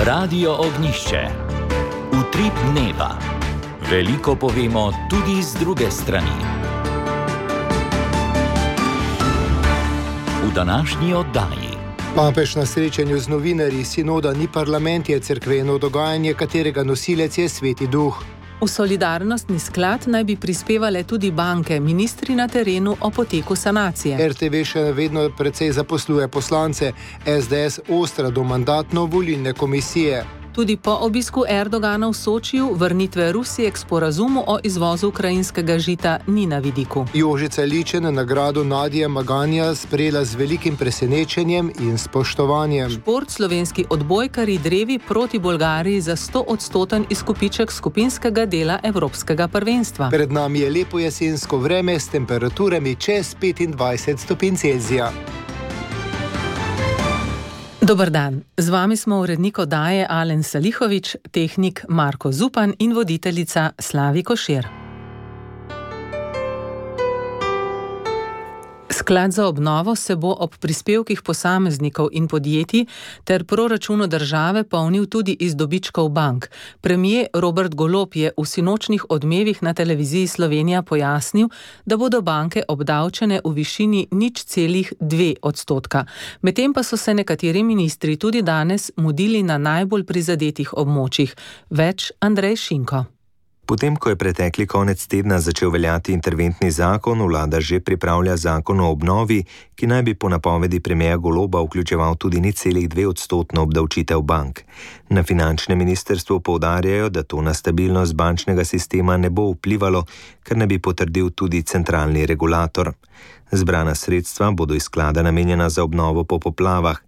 Radio Ognjišče. Utrip dneva. Veliko povemo tudi z druge strani. V današnji oddaji. Papež na srečanju z novinarji sinoda Ni parlament je cerkveno dogajanje, katerega nosilec je Sveti Duh. V solidarnostni sklad naj bi prispevale tudi banke, ministri na terenu o poteku sanacije. RTV še vedno precej zaposluje poslance, SDS ostra do mandatno-volilne komisije. Tudi po obisku Erdogana v Sočiju vrnitve Rusije k sporazumu o izvozu ukrajinskega žita ni na vidiku. Jožica Ličen nagrado Nadija Maganja sprejela z velikim presenečenjem in spoštovanjem. Šport, slovenski odbojkarji drevi proti Bolgariji za 100% izkupiček skupinskega dela Evropskega prvenstva. Pred nami je lepo jesensko vreme s temperaturami čez 25 stopinj Celzija. Dober dan, z vami smo urednik oddaje Alen Salihovič, tehnik Marko Zupan in voditeljica Slavi Košir. Sklad za obnovo se bo ob prispevkih posameznikov in podjetij ter proračunu države polnil tudi iz dobičkov bank. Premier Robert Golob je v sinočnih odmevih na televiziji Slovenija pojasnil, da bodo banke obdavčene v višini 0,2%. Medtem pa so se nekateri ministri tudi danes mudili na najbolj prizadetih območjih. Več Andrej Šinko. Potem, ko je pretekli konec tedna začel veljati interventni zakon, vlada že pripravlja zakon o obnovi, ki naj bi po napovedi premierja Goloba vključeval tudi 0,2% obdavčitev bank. Na finančnem ministrstvu poudarjajo, da to na stabilnost bančnega sistema ne bo vplivalo, kar ne bi potrdil tudi centralni regulator. Zbrana sredstva bodo iz sklada namenjena za obnovo po poplavah.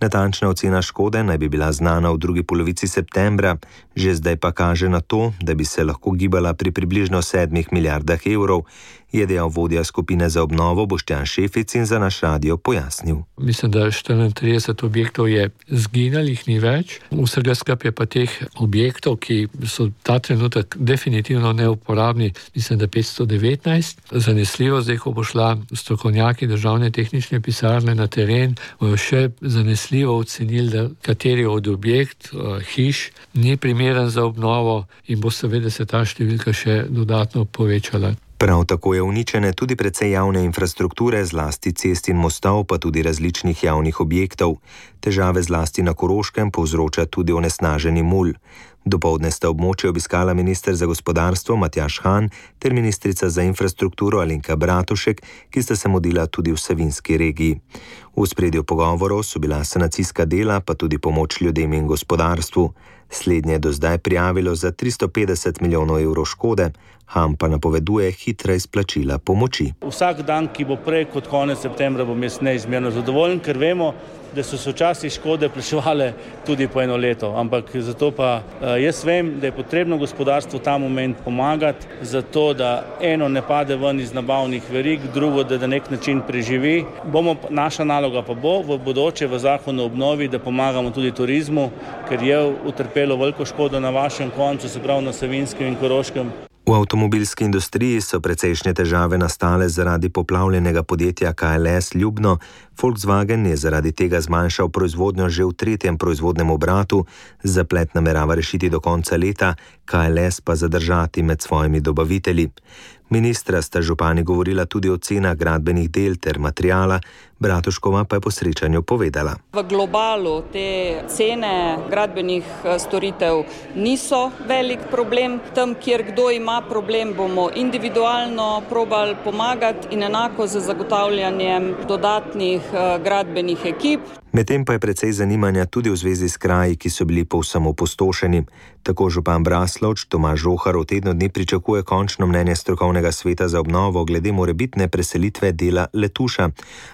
Natančna ocena škode naj bi bila znana v drugi polovici septembra, že zdaj pa kaže na to, da bi se lahko gibala pri približno 7 milijardah evrov, je dejal vodja skupine za obnovo Boštjan Šefic in za naš radio pojasnil. Mislim, da 34 objektov je zginalih, ni več. Vsega skupaj je pa teh objektov, ki so ta trenutek definitivno neuporabni, mislim, da 519. Zanesljivo, zdaj, ko bo šla strokovnjaki državne tehnične pisarne na teren, bojo še zanesljivo ocenili, da kateri od objekt, hiš, ni primeren za obnovo in bo seveda se ta številka še dodatno povečala. Prav tako je uničene tudi precej javne infrastrukture, zlasti cest in mostov, pa tudi različnih javnih objektov. Težave zlasti na Koroškem povzroča tudi onesnaženi mulj. Dopoldne sta območje obiskala minister za gospodarstvo Matjaž Han ter ministrica za infrastrukturo Alenka Bratušek, ki sta se mudila tudi v Savinjski regiji. V ospredju pogovorov so bila sanacijska dela, pa tudi pomoč ljudem in gospodarstvu. Slednje je do zdaj prijavilo za 350 milijonov evrov škode, Han pa napoveduje hitra izplačila pomoči. Vsak dan, ki bo prej kot konec septembra, bom jaz neizmerno zadovoljen, ker vemo, da so se včasih škode plačevale tudi po eno leto. Ampak zato pa jaz vem, da je potrebno gospodarstvu ta moment pomagati, zato da eno ne pade ven iz nabavnih verig, drugo, da na nek način preživi. Naša naloga pa bo v bodoče v zakonu o obnovi, da pomagamo tudi turizmu, ker je utrpelo veliko škodo na vašem koncu, se pravi na Savinjskem in Koroškem. V avtomobilski industriji so precejšnje težave nastale zaradi poplavljenega podjetja KLS Ljubno. Volkswagen je zaradi tega zmanjšal proizvodnjo že v 3. proizvodnem obratu, zaplet namerava rešiti do konca leta, KLS pa zadržati med svojimi dobavitelji. Ministra sta župani govorila tudi o cenah gradbenih del ter materiala, Bratuškova pa je po srečanju povedala. V globalu te cene gradbenih storitev niso velik problem. Tam, kjer kdo ima problem, bomo individualno probali pomagati in enako z zagotavljanjem dodatnih gradbenih ekip. Medtem pa je precej zanimanja tudi v zvezi s kraji, ki so bili povsem opustošeni. Tako župan Braslovč Tomaž Žohar v tednu dni pričakuje končno mnenje strokovnega sveta za obnovo glede morebitne preselitve dela Letuša.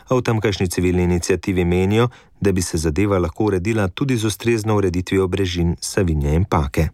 A v tamkajšnji civilni iniciativi menijo, da bi se zadeva lahko uredila tudi z ustrezno ureditvijo brežin Savinje in Pake.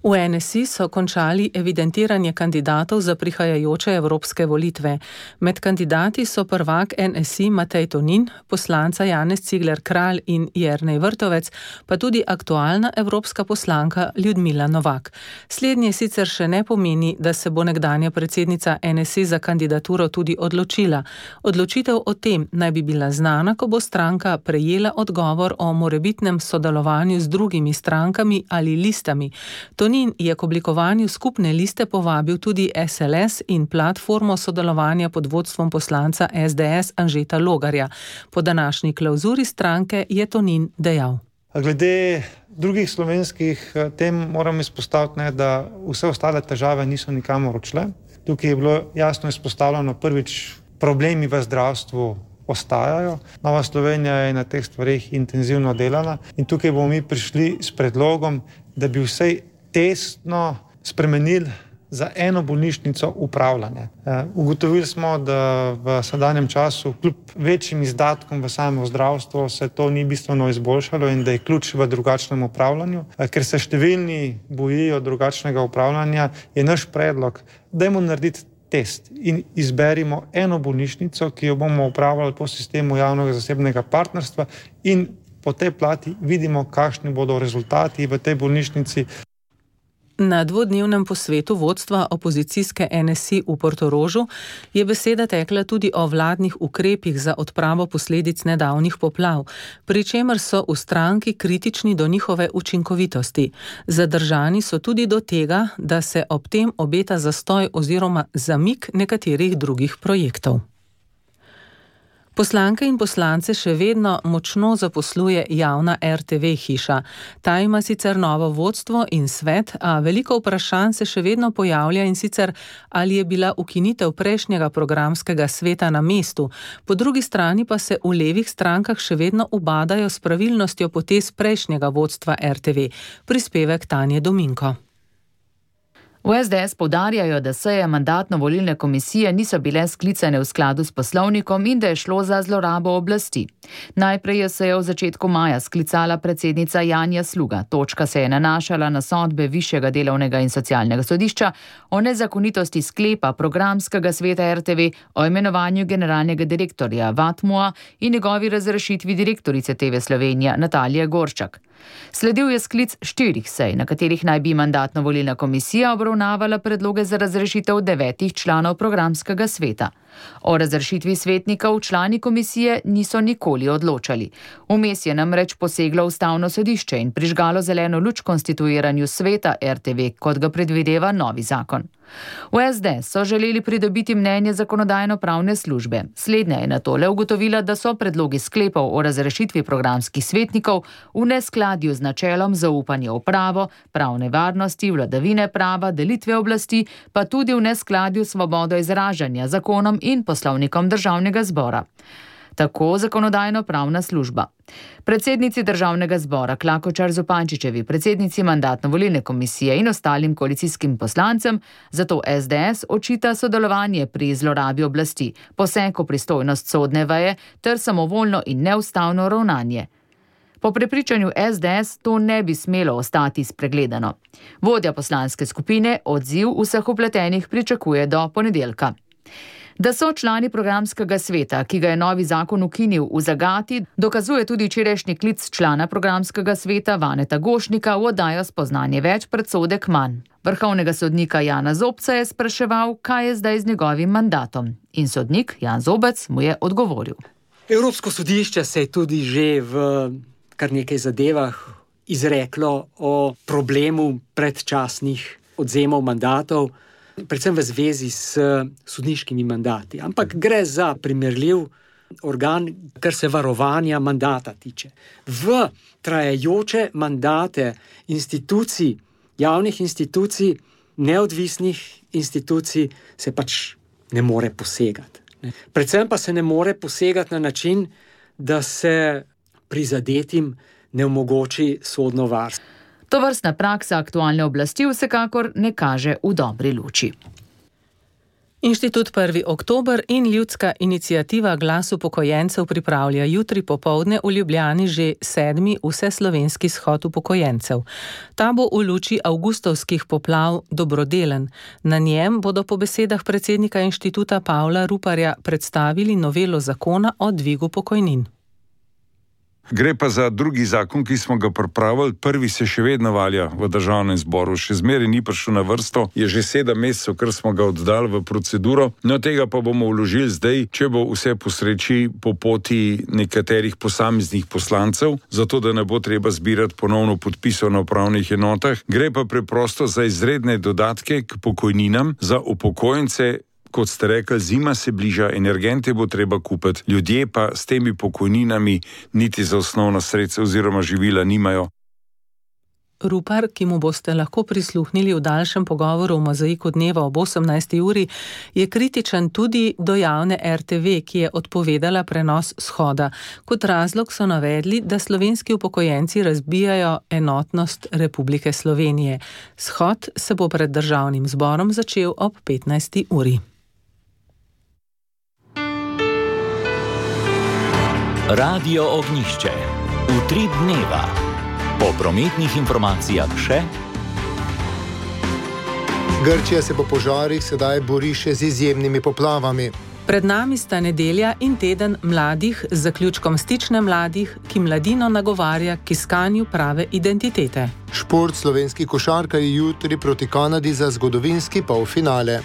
V NSI so končali evidentiranje kandidatov za prihajajoče evropske volitve. Med kandidati so prvak NSI Matej Tonin, poslanca Janez Cigler Kralj in Jernej Vrtovec, pa tudi aktualna evropska poslanka Ljudmila Novak. Slednje sicer še ne pomeni, da se bo nekdanja predsednica NSI za kandidaturo tudi odločila. Odločitev o tem naj bi bila znana, ko bo stranka prejela odgovor o morebitnem sodelovanju z drugimi strankami ali listami. Tonin je k oblikovanju skupne liste povabil tudi SLS in platformo sodelovanja pod vodstvom poslanca SDS Anžeta Logarja. Po današnji klauzuri stranke je Tonin dejal. Glede drugih slovenskih tem moram izpostaviti, da vse ostale težave niso nikamor odšle. Tukaj je bilo jasno izpostavljeno prvič, problemi v zdravstvu ostajajo. Nova Slovenija je na teh stvarih intenzivno delala in tukaj bomo mi prišli s predlogom, da bi vsej testno spremenili za eno bolnišnico upravljanje. Ugotovili smo, da v sedanjem času kljub večjim izdatkom v samo zdravstvo se to ni bistveno izboljšalo in da je ključ v drugačnem upravljanju. Ker se številni bojijo drugačnega upravljanja, je naš predlog, dajmo narediti test in izberimo eno bolnišnico, ki jo bomo upravljali po sistemu javnega zasebnega partnerstva in po tej plati vidimo, kakšni bodo rezultati v tej bolnišnici. Na dvodnevnem posvetu vodstva opozicijske NSI v Portorožu je beseda tekla tudi o vladnih ukrepih za odpravo posledic nedavnih poplav, pri čemer so v stranki kritični do njihove učinkovitosti. Zadržani so tudi do tega, da se ob tem obeta zastoj oziroma zamik nekaterih drugih projektov. Poslanke in poslance še vedno močno zaposluje javna RTV hiša. Ta ima sicer novo vodstvo in svet, a veliko vprašanj se še vedno pojavlja in sicer, ali je bila ukinitev prejšnjega programskega sveta na mestu. Po drugi strani pa se v levih strankah še vedno ubadajo s pravilnostjo potez prejšnjega vodstva RTV. Prispevek Tanje Dominko. V SDS poudarjajo, da seje mandatno-volilne komisije niso bile sklicane v skladu s poslovnikom in da je šlo za zlorabo oblasti. Najprej je sejo v začetku maja sklicala predsednica Janja Sluga. Točka se je nanašala na sodbe Višjega delovnega in socialnega sodišča o nezakonitosti sklepa programskega sveta RTV o imenovanju generalnega direktorja Vatmua in njegovi razrešitvi direktorice TV Slovenija Natalije Gorščak. Sledil je sklic 4 sej, na katerih naj bi mandatno-volilna komisija obravnavala predloge za razrešitev 9 članov programskega sveta. O razrešitvi svetnikov člani komisije niso nikoli odločali. Vmes je namreč poseglo Ustavno sodišče in prižgalo zeleno luč konstituiranju sveta RTV, kot ga predvideva novi zakon. V SDS so želeli pridobiti mnenje zakonodajno-pravne službe. Slednja je nato le ugotovila, da so predlogi sklepov o razrešitvi programskih svetnikov v neskladju z načelom zaupanja v pravo, pravne varnosti, vladavine prava, delitve oblasti, pa tudi v neskladju s svobodo izražanja, zakonom in poslovnikom Državnega zbora. Tako zakonodajno-pravna služba. Predsednici Državnega zbora Klakočar Zupančičevi, predsednici mandatno-volilne komisije in ostalim koalicijskim poslancem, zato SDS očita sodelovanje pri zlorabi oblasti, poseg v pristojnost sodne veje ter samovoljno in neustavno ravnanje. Po prepričanju SDS to ne bi smelo ostati spregledano. Vodja poslanske skupine odziv vseh vpletenih pričakuje do ponedeljka. Da so člani programskega sveta, ki ga je novi zakon ukinil, v zagati, dokazuje tudi včerajšnji klic člana programskega sveta Vaneta Gošnika v oddajo Spoznanje več predsodek manj. Vrhovnega sodnika Jana Zobca je spraševal, kaj je zdaj z njegovim mandatom. In sodnik Jan Zobec mu je odgovoril. Evropsko sodišče se je tudi že v kar nekaj zadevah izreklo o problemu predčasnih odvzemov mandatov, predvsem v zvezi s sodniškimi mandati. Ampak gre za primerljiv organ, kar se varovanja mandata tiče. V trajajoče mandate institucij, javnih institucij, neodvisnih institucij se pač ne more posegati. Predvsem pa se ne more posegati na način, da se prizadetim ne omogoči sodno varstvo. Tovrstna praksa aktualne oblasti vsekakor ne kaže v dobri luči. Inštitut 1. oktober in ljudska iniciativa Glas upokojencev pripravlja jutri popoldne v Ljubljani že 7. vseslovenski shod upokojencev. Ta bo v luči avgustovskih poplav dobrodelen. Na njem bodo po besedah predsednika inštituta Pavla Ruparja predstavili novelo zakona o dvigu pokojnin. Gre pa za drugi zakon, ki smo ga pripravili. Prvi se še vedno valja v državnem zboru. Še zmeraj ni prišel na vrsto. Je že 7 mesecev, ker smo ga oddali v proceduro. No, tega pa bomo vložili zdaj, če bo vse po sreči, po poti nekaterih posameznih poslancev, zato da ne bo treba zbirati ponovno podpisov na upravnih enotah. Gre pa preprosto za izredne dodatke k pokojninam za upokojence. Kot ste rekli, zima se bliža, energente bo treba kupiti, ljudje pa s temi pokojninami niti za osnovna sredstva oziroma živila nimajo. Rupar, ki mu boste lahko prisluhnili v daljšem pogovoru v Mozaiku dneva ob 18. uri, je kritičen tudi do javne RTV, ki je odpovedala prenos shoda. Kot razlog so navedli, da slovenski upokojenci razbijajo enotnost Republike Slovenije. Shod se bo pred državnim zborom začel ob 15. uri. Radio Ognjišče. Utrip dneva. Po prometnih informacijah še. Grčija se po požarih sedaj bori še z izjemnimi poplavami. Pred nami sta nedelja in teden mladih z zaključkom Stične mladih, ki mladino nagovarja k iskanju prave identitete. Šport, slovenski košarkarji jutri proti Kanadi za zgodovinski polfinale.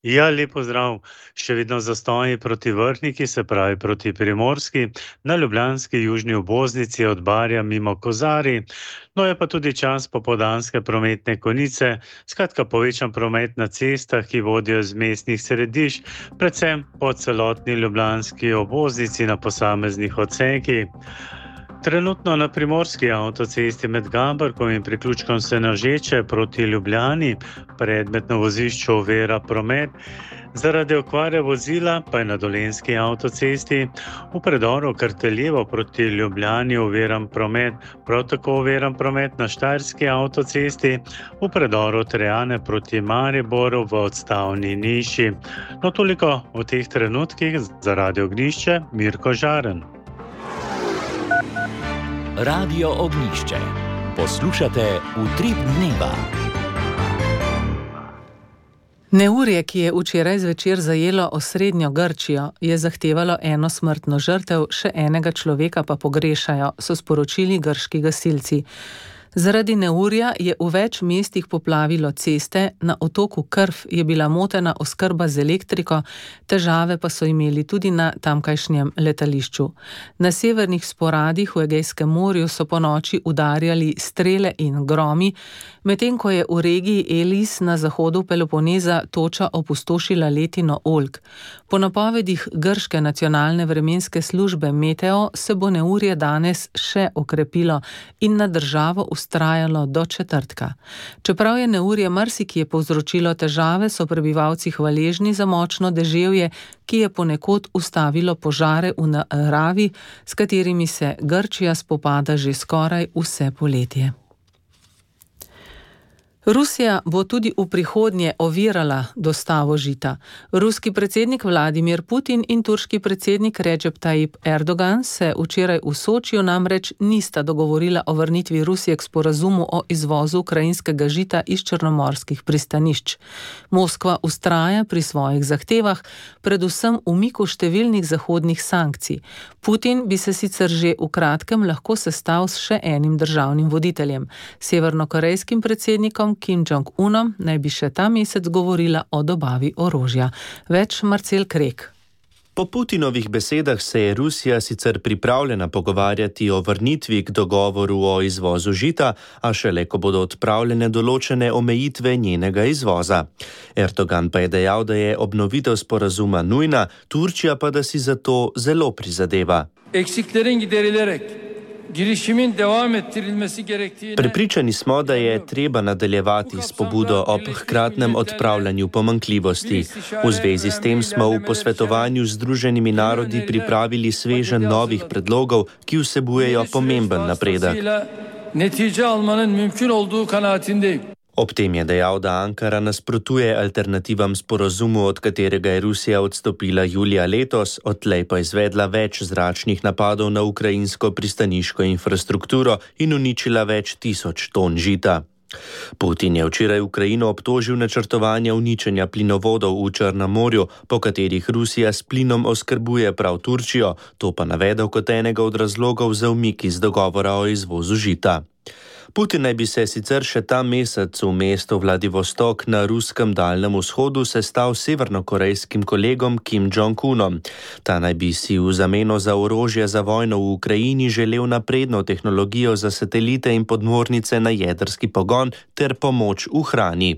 Ja, lepo zdrav. Še vedno zastoji proti Vrhniki, se pravi proti Primorski, na ljubljanski južni obvoznici od Barja mimo Kozarij. No je pa tudi čas popoldanske prometne konice, skratka povečan promet na cestah, ki vodijo z mestnih središč, predvsem po celotni ljubljanski obvoznici na posameznih odsekih. Trenutno na primorski avtocesti med Gaberkom in priključkom Senožeče proti Ljubljani predmetno vozišče ovira promet. Zaradi okvare vozila pa je na dolenjski avtocesti v predoru Krteljevo proti Ljubljani oviran promet. Prav tako oviran promet na štajerski avtocesti v predoru Trejane proti Mariboru v odstavni niši. No toliko v teh trenutkih za Radio Ognjišče, Mirko Žaren. Radio Ognjišče. Poslušate Utrip dneva. Neurje, ki je včeraj zvečer zajelo osrednjo Grčijo, je zahtevalo 1 smrtno žrtev, še enega človeka pa pogrešajo, so sporočili grški gasilci. Zaradi neurja je v več mestih poplavilo ceste, na otoku Krf je bila motena oskrba z elektriko, težave pa so imeli tudi na tamkajšnjem letališču. Na severnih sporadih v Egejskem morju so ponoči udarjali strele in gromi, medtem ko je v regiji Elis na zahodu Peloponeza toča opustošila letino oljk. Po napovedih grške nacionalne vremenske službe Meteo se bo neurje danes še okrepilo in na državo ustrajalo do četrtka. Čeprav je neurje marsikje povzročilo težave, so prebivalci hvaležni za močno deževje, ki je ponekod ustavilo požare v naravi, s katerimi se Grčija spopada že skoraj vse poletje. Rusija bo tudi v prihodnje ovirala dostavo žita. Ruski predsednik Vladimir Putin in turški predsednik Recep Tayyip Erdogan se včeraj v Sočiju namreč nista dogovorila o vrnitvi Rusije k sporazumu o izvozu ukrajinskega žita iz črnomorskih pristanišč. Moskva vztraja pri svojih zahtevah, predvsem umiku številnih zahodnih sankcij. Putin bi se sicer že v kratkem lahko sestal s še enim državnim voditeljem, severnokorejskim predsednikom Kim Jong-unom, naj bi še ta mesec govorila o dobavi orožja. Več Marcel Krek. Po Putinovih besedah se je Rusija sicer pripravljena pogovarjati o vrnitvi k dogovoru o izvozu žita, a šele ko bodo odpravljene določene omejitve njenega izvoza. Erdogan pa je dejal, da je obnovitev sporazuma nujna, Turčija pa da si za to zelo prizadeva. Eksiklerin giderilerek Prepričani smo, da je treba nadaljevati s pobudo ob hkratnem odpravljanju pomanjkljivosti. V zvezi s tem smo v posvetovanju z Združenimi narodi pripravili sveženj novih predlogov, ki vsebujejo pomemben napredek. netice almanın mümkün olduğu kanaatindeyim. Ob tem je dejal, da Ankara nasprotuje alternativam sporazumu, od katerega je Rusija odstopila julija letos, odtlej pa izvedla več zračnih napadov na ukrajinsko pristaniško infrastrukturo in uničila več 1000 ton žita. Putin je včeraj Ukrajino obtožil načrtovanja uničenja plinovodov v Črnem morju, po katerih Rusija s plinom oskrbuje prav Turčijo, to pa navedel kot enega od razlogov za umik iz dogovora o izvozu žita. Putin naj bi se sicer še ta mesec v mestu Vladivostok na ruskem daljnem vzhodu sestal s severnokorejskim kolegom Kim Jong-unom. Ta naj bi si v zameno za orožje za vojno v Ukrajini želel napredno tehnologijo za satelite in podmornice na jedrski pogon ter pomoč v hrani.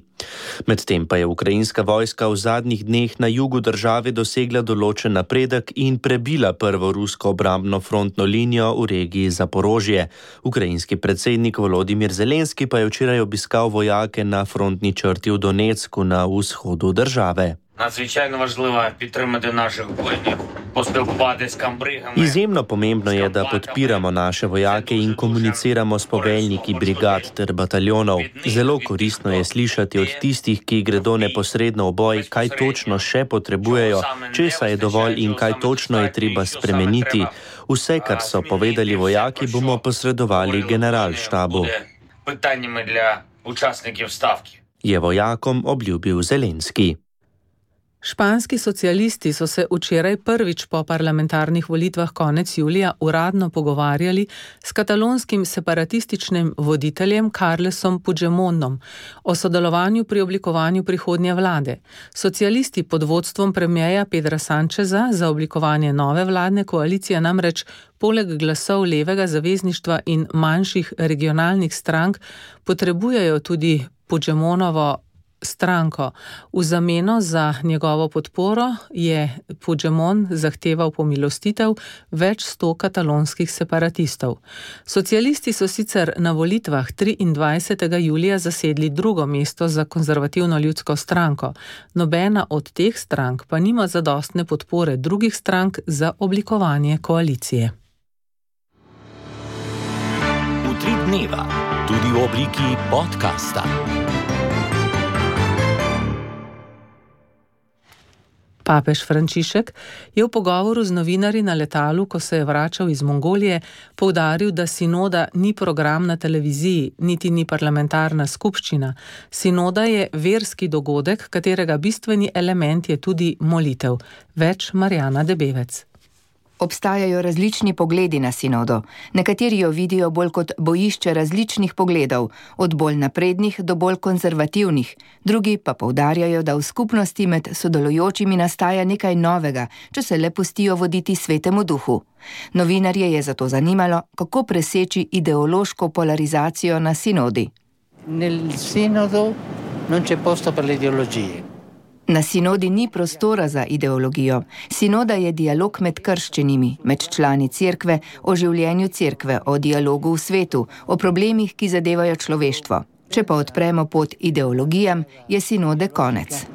Medtem pa je ukrajinska vojska v zadnjih dneh na jugu države dosegla določen napredek in prebila prvo rusko obrambno frontno linijo v regiji Zaporožje. Ukrajinski predsednik Volodimir Zelenski pa je včeraj obiskal vojake na frontni črti v Donecku na vzhodu države. Izjemno pomembno je, da podpiramo naše vojake in komuniciramo s poveljniki brigad ter bataljonov. Zelo koristno je slišati od tistih, ki gredo neposredno v boj, kaj točno še potrebujejo, česa je dovolj in kaj točno je treba spremeniti. Vse, kar so povedali vojaki, bomo posredovali generalštabu. Je vojakom obljubil Zelenski. Španski socialisti so se včeraj prvič po parlamentarnih volitvah konec julija uradno pogovarjali s katalonskim separatističnim voditeljem Carlesom Puigdemontom o sodelovanju pri oblikovanju prihodnje vlade. Socialisti pod vodstvom premierja Pedra Sancheza za oblikovanje nove vladne koalicije namreč poleg glasov levega zavezništva in manjših regionalnih strank potrebujejo tudi Puigdemontovo stranko. V zameno za njegovo podporo je Puigdemont zahteval pomilostitev več 100 katalonskih separatistov. Socialisti so sicer na volitvah 23. julija zasedli drugo mesto za konzervativno ljudsko stranko. Nobena od teh strank pa nima zadostne podpore drugih strank za oblikovanje koalicije. Utrip dneva, tudi v obliki podcasta. Papež Frančišek je v pogovoru z novinarji na letalu, ko se je vračal iz Mongolije, poudaril, da sinoda ni program na televiziji, niti ni parlamentarna skupščina. Sinoda je verski dogodek, katerega bistveni element je tudi molitev. Več Marjana Debevec. Obstajajo različni pogledi na sinodo. Nekateri jo vidijo bolj kot bojišče različnih pogledov, od bolj naprednih do bolj konzervativnih. Drugi pa poudarjajo, da v skupnosti med sodelujočimi nastaja nekaj novega, če se le pustijo voditi svetemu duhu. Novinarje je zato zanimalo, kako preseči ideološko polarizacijo na sinodi. Nel sinodo non c'è posto per le ideologie. Na sinodi ni prostora za ideologijo. Sinoda je dialog med krščenimi, med člani cerkve, o življenju cerkve, o dialogu v svetu, o problemih, ki zadevajo človeštvo. Če pa odpremo pot ideologijam, je sinode konec.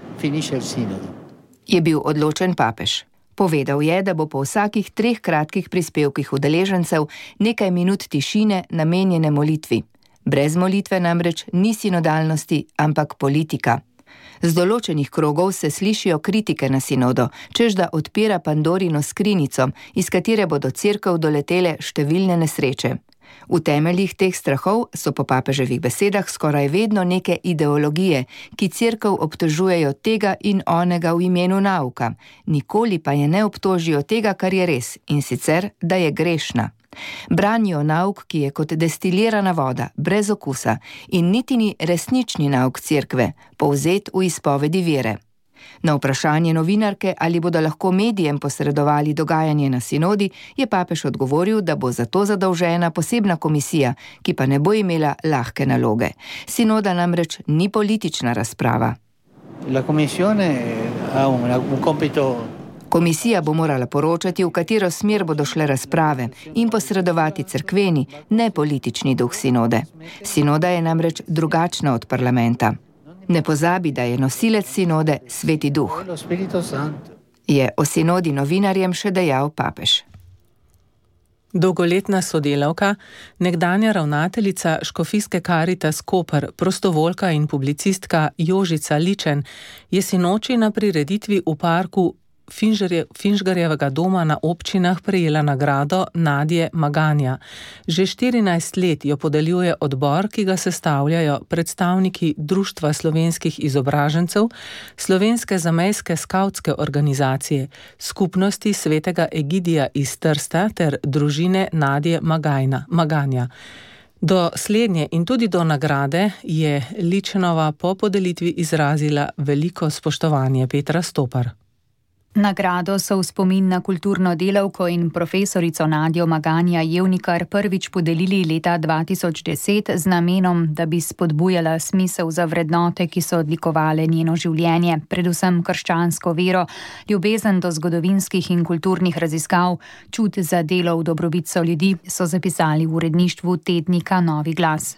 Je bil odločen papež. Povedal je, da bo po vsakih 3 kratkih prispevkih udeležencev nekaj minut tišine namenjene molitvi. Brez molitve namreč ni sinodalnosti, ampak politika. Z določenih krogov se slišijo kritike na sinodo, čež da odpira Pandorino skrinjico, iz katere bodo cerkev doletele številne nesreče. V temeljih teh strahov so po papeževih besedah skoraj vedno neke ideologije, ki cerkev obtožujejo tega in onega v imenu nauka, nikoli pa je ne obtožijo tega, kar je res, in sicer, da je grešna. Branijo nauk, ki je kot destilirana voda, brez okusa, in niti ni resnični nauk cerkve, povzet v izpovedi vere. Na vprašanje novinarke, ali bodo lahko medijem posredovali dogajanje na sinodi, je papež odgovoril, da bo za to zadolžena posebna komisija, ki pa ne bo imela lahke naloge. Sinoda namreč ni politična razprava. La commissione ha un compito. Komisija bo morala poročati, v katero smer bodo šle razprave in posredovati cerkveni, ne politični duh sinode. Sinoda je namreč drugačna od parlamenta. Ne pozabi, da je nosilec sinode Sveti duh. Je o sinodi novinarjem še dejal papež. Dolgoletna sodelavka, nekdanja ravnateljica Škofijske Karitas Koper, prostovoljka in publicistka Jožica Ličen je sinoči na prireditvi v parku Finžgarjevega doma na občinah prejela nagrado Nadje Maganja. Že 14 let jo podeljuje odbor, ki ga sestavljajo predstavniki Društva slovenskih izobražencev, Slovenske zamejske skavtske organizacije, Skupnosti svetega Egidija iz Trsta ter družine Nadje Maganja. Do slednje in tudi do nagrade je Ličenova po podelitvi izrazila veliko spoštovanje. Petra Stopar. Nagrado so v spomin na kulturno delavko in profesorico Nadjo Maganja Jevnikar prvič podelili leta 2010 z namenom, da bi spodbujala smisel za vrednote, ki so odlikovale njeno življenje, predvsem krščansko vero, ljubezen do zgodovinskih in kulturnih raziskav, čut za delo v dobrobit ljudi, so zapisali v uredništvu tednika Novi glas.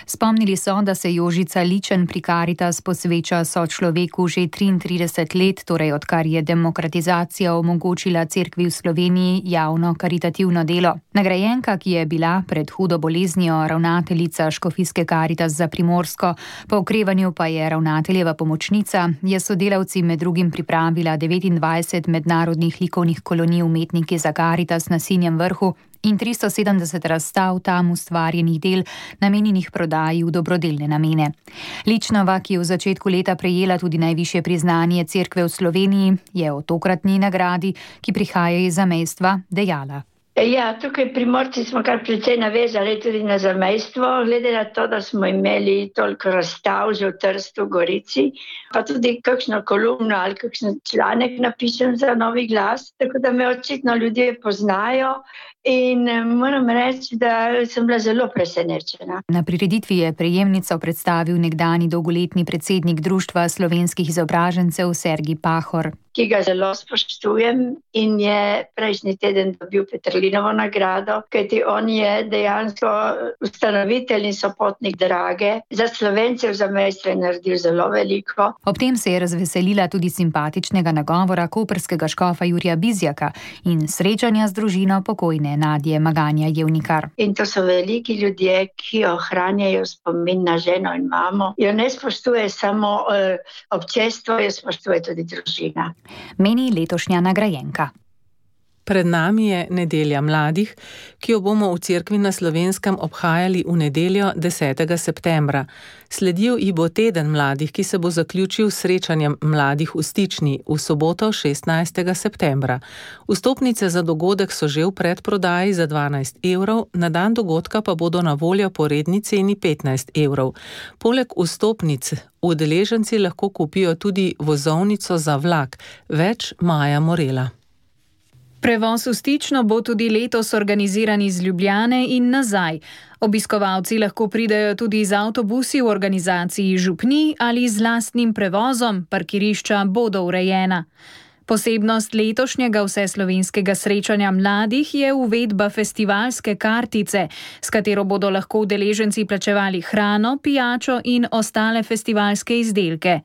Spomnili so, da se Jožica Ličen pri Karitas posveča sočloveku že 33 let, torej odkar je demokratizacija omogočila cerkvi v Sloveniji javno karitativno delo. Nagrajenka, ki je bila pred hudo boleznijo ravnateljica Škofijske Karitas za Primorsko, po okrevanju pa je ravnateljeva pomočnica, je sodelavci med drugim pripravila 29 mednarodnih likovnih kolonij umetniki za Karitas na Sinjem vrhu in 370 razstav tam ustvarjenih del, namenjenih prodaji v dobrodelne namene. Ličnova, ki je v začetku leta prejela tudi najvišje priznanje cerkve v Sloveniji, je o tokratni nagradi, ki prihaja iz zamejstva, dejala. Ja, tukaj Primorci smo kar precej navezali tudi na zamejstvo, glede na to, da smo imeli toliko razstav že v Trstu, Gorici, pa tudi kakšno kolumno ali kakšen članek napišem za Novi glas, tako da me očitno ljudje poznajo in moram reči, da sem bila zelo presenečena. Na prireditvi je prejemnico predstavil nekdani dolgoletni predsednik Društva slovenskih izobražencev Sergij Pahor, ki ga zelo spoštujem in je prejšnji teden dobil Petrlinovo nagrado, kajti on je dejansko ustanovitelj in sopotnik Drage. Za Slovence v zamejstvu je naredil zelo veliko. Ob tem se je razveselila tudi simpatičnega nagovora koprskega škofa Jurija Bizjaka in srečanja z družino pokojne Nadje Maganja Jevnikar. In to so veliki ljudje, ki ohranjajo spomin na ženo in mamo. Jo ne spoštuje samo občestvo, jo spoštuje tudi družina. Meni letošnja nagrajenka. Pred nami je nedelja mladih, ki jo bomo v cerkvi na Slovenskem obhajali v nedeljo 10. septembra. Sledil ji bo teden mladih, ki se bo zaključil s srečanjem mladih v Stični v soboto 16. septembra. Vstopnice za dogodek so že v predprodaji za 12 evrov, na dan dogodka pa bodo na voljo po redni ceni 15 evrov. Poleg vstopnic udeleženci lahko kupijo tudi vozovnico za vlak. Več Maja Morela. Prevoz v Stično bo tudi letos organiziran iz Ljubljane in nazaj. Obiskovalci lahko pridejo tudi z avtobusi v organizaciji župnij ali z lastnim prevozom, parkirišča bodo urejena. Posebnost letošnjega vseslovenskega srečanja mladih je uvedba festivalske kartice, s katero bodo lahko udeleženci plačevali hrano, pijačo in ostale festivalske izdelke.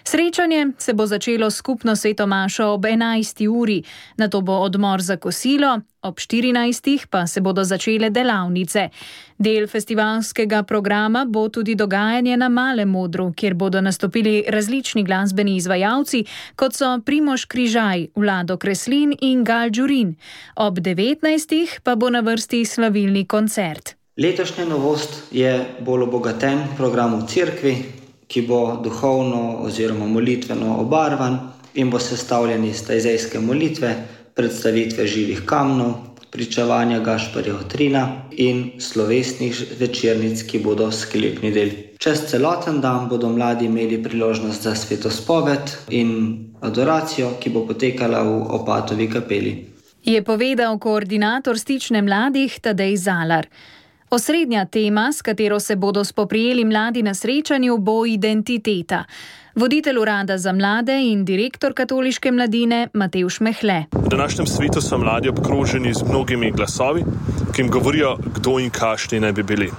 Srečanje se bo začelo skupno sveto mašo ob 11. uri, nato bo odmor za kosilo, ob 14. pa se bodo začele delavnice. Del festivalskega programa bo tudi dogajanje na Malem odru, kjer bodo nastopili različni glasbeni izvajalci, kot so Primož Križaj, Vlado Kreslin in Gal Đurin. Ob 19. pa bo na vrsti slavilni koncert. Letošnja novost je bolj obogaten program v cerkvi, ki bo duhovno oziroma molitveno obarvan in bo sestavljen iz tajzejske molitve, predstavitve živih kamnov, pričevanja Gašparja Otrina in slovesnih večernic, ki bodo sklepni del. Čez celoten dan bodo mladi imeli priložnost za svetospoved in adoracijo, ki bo potekala v Opatovi kapeli. Je povedal koordinator Stične mladih Tadej Zalar. Osrednja tema, s katero se bodo spoprijeli mladi na srečanju, bo identiteta. Voditelj urada za mlade in direktor katoliške mladine Matevž Mehle. V današnjem svetu so mladi obkroženi z mnogimi glasovi, ki jim govorijo, kdo in kakšni naj bi bili.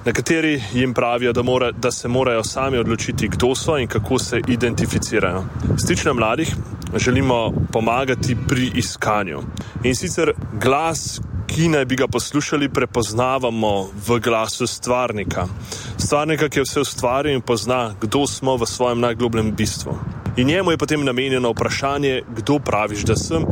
Nekateri jim pravijo, da se morajo sami odločiti, kdo so in kako se identificirajo. Stična mladih želimo pomagati pri iskanju. In sicer glas, ki naj bi ga poslušali, prepoznavamo v glasu stvarnika. Stvarnika, ki je vse ustvaril in pozna, kdo smo v svojem najglobljem bistvu. In njemu je potem namenjeno vprašanje, kdo praviš, da sem,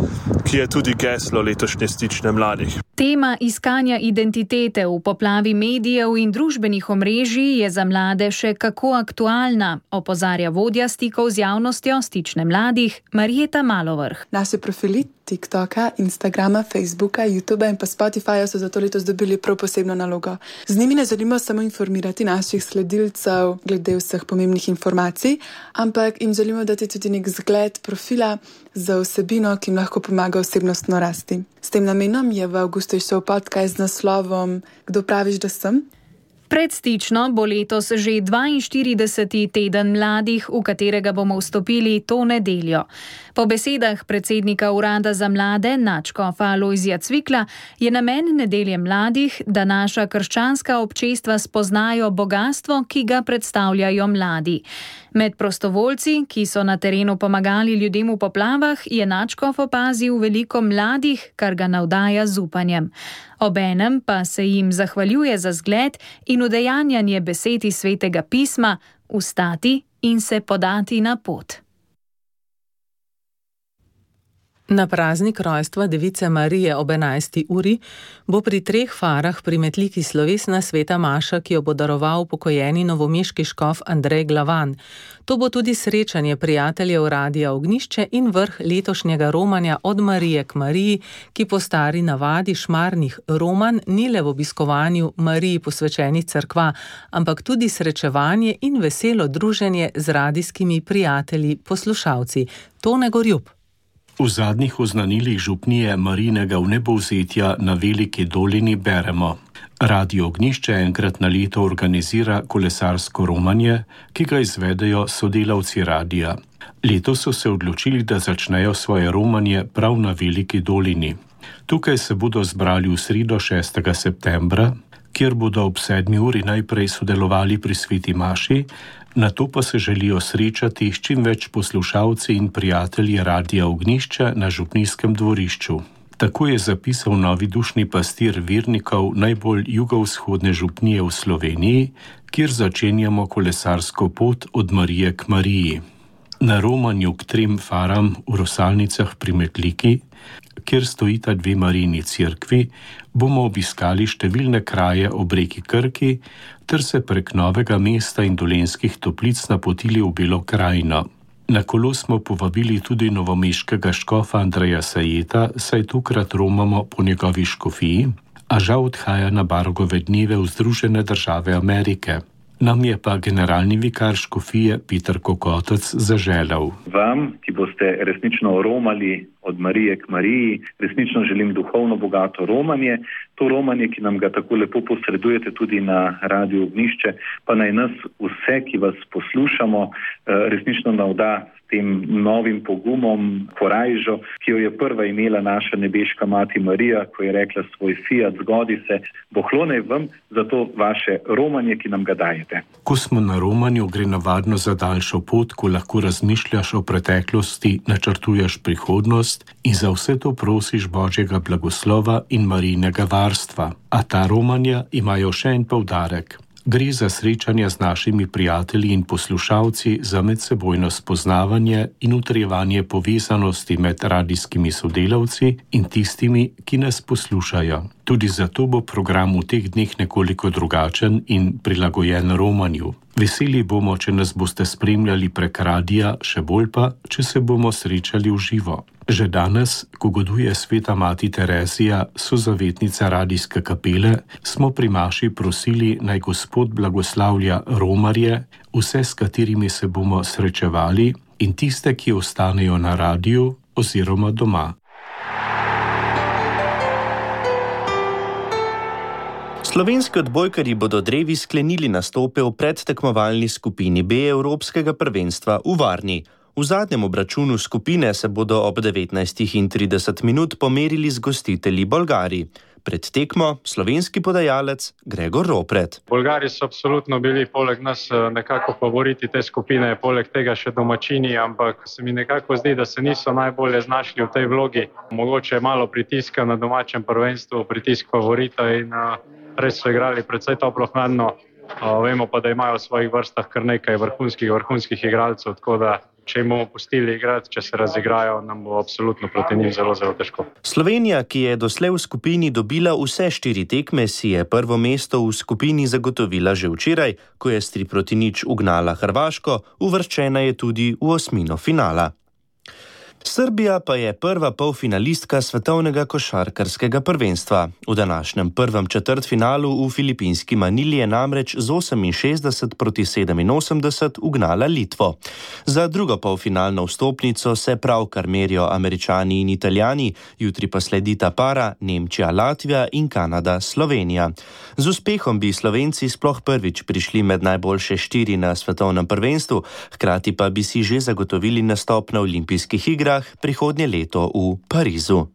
ki je tudi geslo letošnje Stične mladih. Tema iskanja identitete v poplavi medijev in družbenih omrežij je za mlade še kako aktualna, opozarja vodja stikov z javnostjo Stične mladih Marjeta Malovrh. Naši profili TikToka, Instagrama, Facebooka, YouTubea in pa Spotifyja so zato letos dobili prav posebno nalogo. Z njimi ne želimo samo informirati naših sledilcev glede vseh pomembnih informacij, ampak jim želimo dati tudi nek zgled profila za vsebino, ki jim lahko pomaga osebnostno rasti. S tem namenom je v avgustu izšel podcast z naslovom Kdo praviš, da sem? Pred Stično bo letos že 42. teden mladih, v katerega bomo vstopili to nedeljo. Po besedah predsednika Urada za mlade nadškofa Lojzija Cvikla je namen nedelje mladih, da naša krščanska občestva spoznajo bogastvo, ki ga predstavljajo mladi. Med prostovoljci, ki so na terenu pomagali ljudem v poplavah, je nadškof opazil veliko mladih, kar ga navdaja z upanjem. Obenem pa se jim zahvaljuje za zgled in udejanjanje besed iz Svetega pisma, vstati in se podati na pot. Na praznik rojstva Device Marije ob 11. uri bo pri 3 farah pri Metliki slovesna sveta maša, ki jo bo daroval pokojeni novomeški škof Andrej Glavan. To bo tudi srečanje prijateljev Radia Ognjišče in vrh letošnjega romanja Od Marije k Mariji, ki po stari navadi šmarnih romanj ni le v obiskovanju Mariji posvečenih cerkva, ampak tudi srečevanje in veselo druženje z radijskimi prijatelji, poslušalci. Tone Gorjup. V zadnjih oznanilih župnije Marijinega vnebovzetja na Veliki dolini beremo: Radio Ognjišče enkrat na leto organizira kolesarsko romanje, ki ga izvedejo sodelavci radija. Letos so se odločili, da začnejo svoje romanje prav na Veliki dolini. Tukaj se bodo zbrali v sredo 6. septembra, kjer bodo ob 7. uri najprej sodelovali pri sveti maši, nato pa se želijo srečati s čim več poslušalci in prijatelji Radia Ognjišče na župnijskem dvorišču. Tako je zapisal novi dušni pastir vernikov najbolj jugovzhodne župnije v Sloveniji, kjer začenjamo kolesarsko pot od Marije k Mariji. Na romanju k 3 faram v Rosalnicah pri Metliki, kjer stojita 2 Marijini cerkvi, bomo obiskali številne kraje ob reki Krki ter se prek Novega mesta in Dolenjskih Toplic napotili v Belo krajino. Na kolo smo povabili tudi novomeškega škofa Andreja Sajeta, saj tokrat romamo po njegovi škofiji, a žal odhaja na Bargove dneve v Združene države Amerike. Nam je pa generalni vikar škofije Peter Kokotec zaželel: Vam, ki boste resnično romali od Marije k Mariji, resnično želim duhovno bogato romanje. To romanje, ki nam ga tako lepo posredujete tudi na Radiu Ognjišče, pa naj nas vse, ki vas poslušamo, resnično navda s tem novim pogumom, korajžo, ki jo je prva imela naša nebeška mati Marija, ko je rekla svoj fiat, zgodi se, bohlone vam za to vaše romanje, ki nam ga dajete. Ko smo na romanju, gre navadno za daljšo pot, ko lahko razmišljaš o preteklosti, načrtuješ prihodnost in za vse to prosiš Božjega blagoslova in Marijinega varstva. A ta romanja imajo še en poudarek. Gre za srečanja z našimi prijatelji in poslušalci, za medsebojno spoznavanje in utrjevanje povezanosti med radijskimi sodelavci in tistimi, ki nas poslušajo. Tudi zato bo program v teh dneh nekoliko drugačen in prilagojen romanju. Veseli bomo, če nas boste spremljali prek radija, še bolj pa, če se bomo srečali v živo. Že danes, ko goduje sveta mati Terezija, sozavetnica radijske kapele, smo pri maši prosili, naj Gospod blagoslavlja romarje, vse, s katerimi se bomo srečevali, in tiste, ki ostanejo na radiju oziroma doma. Slovenski odbojkarji bodo drevi sklenili nastope v predtekmovalni skupini B Evropskega prvenstva v Varni. V zadnjem obračunu skupine se bodo ob 19:30 pomerili z gostitelji Bolgari. Pred tekmo slovenski podajalec Gregor Ropret. Bolgari so absolutno bili poleg nas nekako favoriti te skupine, poleg tega še domačini, ampak se mi nekako zdi, da se niso najbolje znašli v tej vlogi. Mogoče malo pritiska na domačem prvenstvu, pritisk favorita in res so igrali precej toplohladno. Vemo pa, da imajo v svojih vrstah kar nekaj vrhunskih igralcev, tako da če jim bomo pustili igrati, če se razigrajo, nam bo absolutno proti njim zelo, zelo težko. Slovenija, ki je doslej v skupini dobila vse 4 tekme, si je prvo mesto v skupini zagotovila že včeraj, ko je s 3-0 ugnala Hrvaško, uvrščena je tudi v osmino finala. Srbija pa je prva polfinalistka svetovnega košarkarskega prvenstva. V današnjem prvem četrtfinalu v filipinski Manili je namreč z 68-87 ugnala Litvo. Za drugo polfinalno vstopnico se pravkar merijo Američani in Italijani, jutri pa sledita para Nemčija, Latvija in Kanada, Slovenija. Z uspehom bi Slovenci sploh prvič prišli med najboljše 4 na svetovnem prvenstvu, hkrati pa bi si že zagotovili nastop na olimpijskih igrah prihodnje leto v Parizu.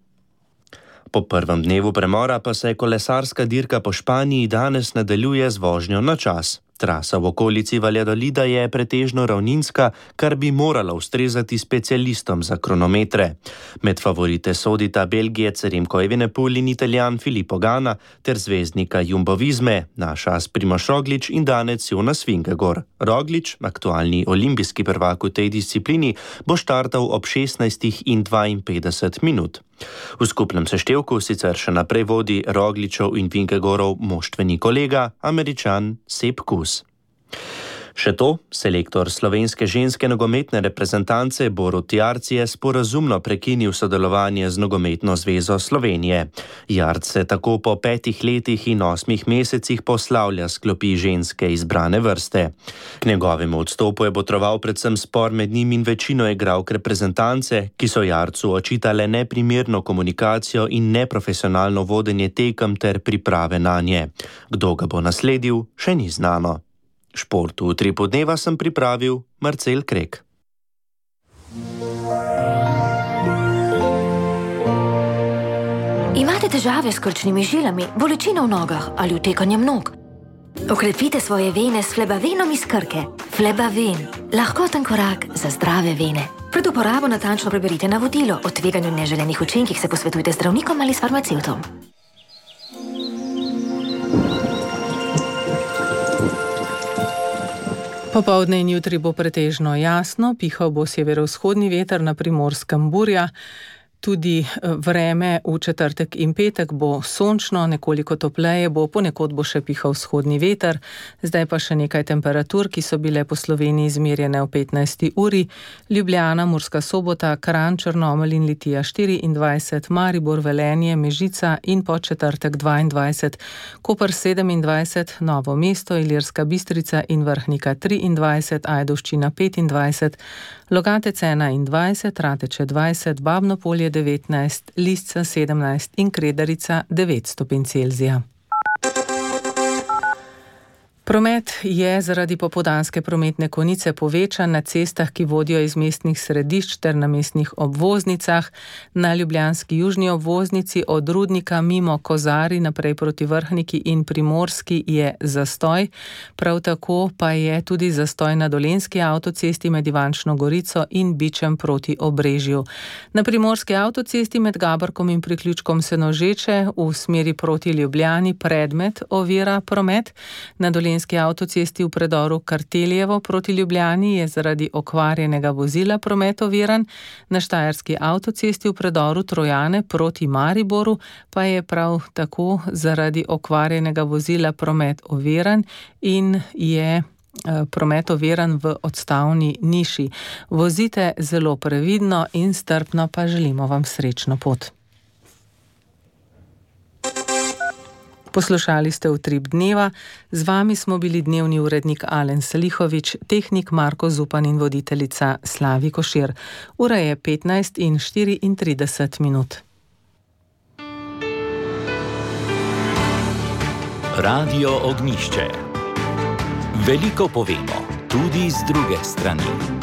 Po prvem dnevu premora pa se kolesarska dirka po Španiji danes nadaljuje z vožnjo na čas. Trasa v okolici Valladolida je pretežno ravninska, kar bi morala ustrezati specialistom za kronometre. Med favorite sodita Belgijec Remco Evenepoel in Italijan Filippo Ganna ter zvezdnika Jumbo Visme, naš as Primož Roglič in danec Jonas Vingegaard. Roglič, aktualni olimpijski prvak v tej disciplini, bo štartal ob 16:52. V skupnem seštevku sicer še naprej vodi Rogličov in Vingegaardov moštveni kolega, Američan Sepp Kuss. Še to, selektor slovenske ženske nogometne reprezentance Borut Jarc je sporazumno prekinil sodelovanje z Nogometno zvezo Slovenije. Jarc se tako po 5 letih in 8 mesecih poslavlja s klopi ženske izbrane vrste. K njegovemu odstopu je botroval predvsem spor med njim in večino igralk reprezentance, ki so Jarcu očitale neprimerno komunikacijo in neprofesionalno vodenje tekem ter priprave nanje. Kdo ga bo nasledil, še ni znano. Šport v Utripu dneva sem pripravil Marcel Krek. Imate težave s krčnimi žilami, bolečino v nogah ali utekanjem nog? Okrepite svoje vene s Flebavenom iz Krke. Flebaven, lahkoten korak za zdrave vene. Pred uporabo natančno preberite navodilo. O tveganju neželenih učinkih se posvetujte z zdravnikom ali s farmacevtom. Popoldne in jutri bo pretežno jasno, pihal bo severovzhodni veter, na Primorskem burja. Tudi vreme v četrtek in petek bo sončno, nekoliko topleje bo, ponekod bo še pihal vzhodni veter. Zdaj pa še nekaj temperatur, ki so bile po Sloveniji izmerjene v 15. uri. Ljubljana, Murska Sobota, Kranj, Črnomelj in Litija 24, Maribor, Velenje, Mežica in po četrtek 22, Koper 27, Novo mesto, Ilirska Bistrica in Vrhnika 23, Ajdovščina 25, Logatec 21, Rateče 20, Babno Polje 19, Lisca 17 in Kredarica 9 stopinj Celzija. Promet je zaradi popoldanske prometne konice povečan na cestah, ki vodijo iz mestnih središč ter na mestnih obvoznicah. Na ljubljanski južni obvoznici od Rudnika mimo Kozari naprej proti Vrhniki in Primorski je zastoj. Prav tako pa je tudi zastoj na Dolenjski avtocesti med Ivančno Gorico in Bičem proti Obrežju. Na Primorski avtocesti med Gaborkom in priključkom Senožeče v smeri proti Ljubljani predmet ovira promet. Na Dolenjski avtocesti v predoru Karteljevo proti Ljubljani je zaradi okvarjenega vozila promet oviran, na Štajerski avtocesti v predoru Trojane proti Mariboru pa je prav tako zaradi okvarjenega vozila promet oviran in je promet oviran v odstavni niši. Vozite zelo previdno in strpno, pa želimo vam srečno pot. Poslušali ste Utrip dneva, z vami smo bili dnevni urednik Alen Salihovič, tehnik Marko Zupan in voditeljica Slavi Košir. Ura je 15:34. Radio Ognjišče. Veliko povemo, tudi z druge strani.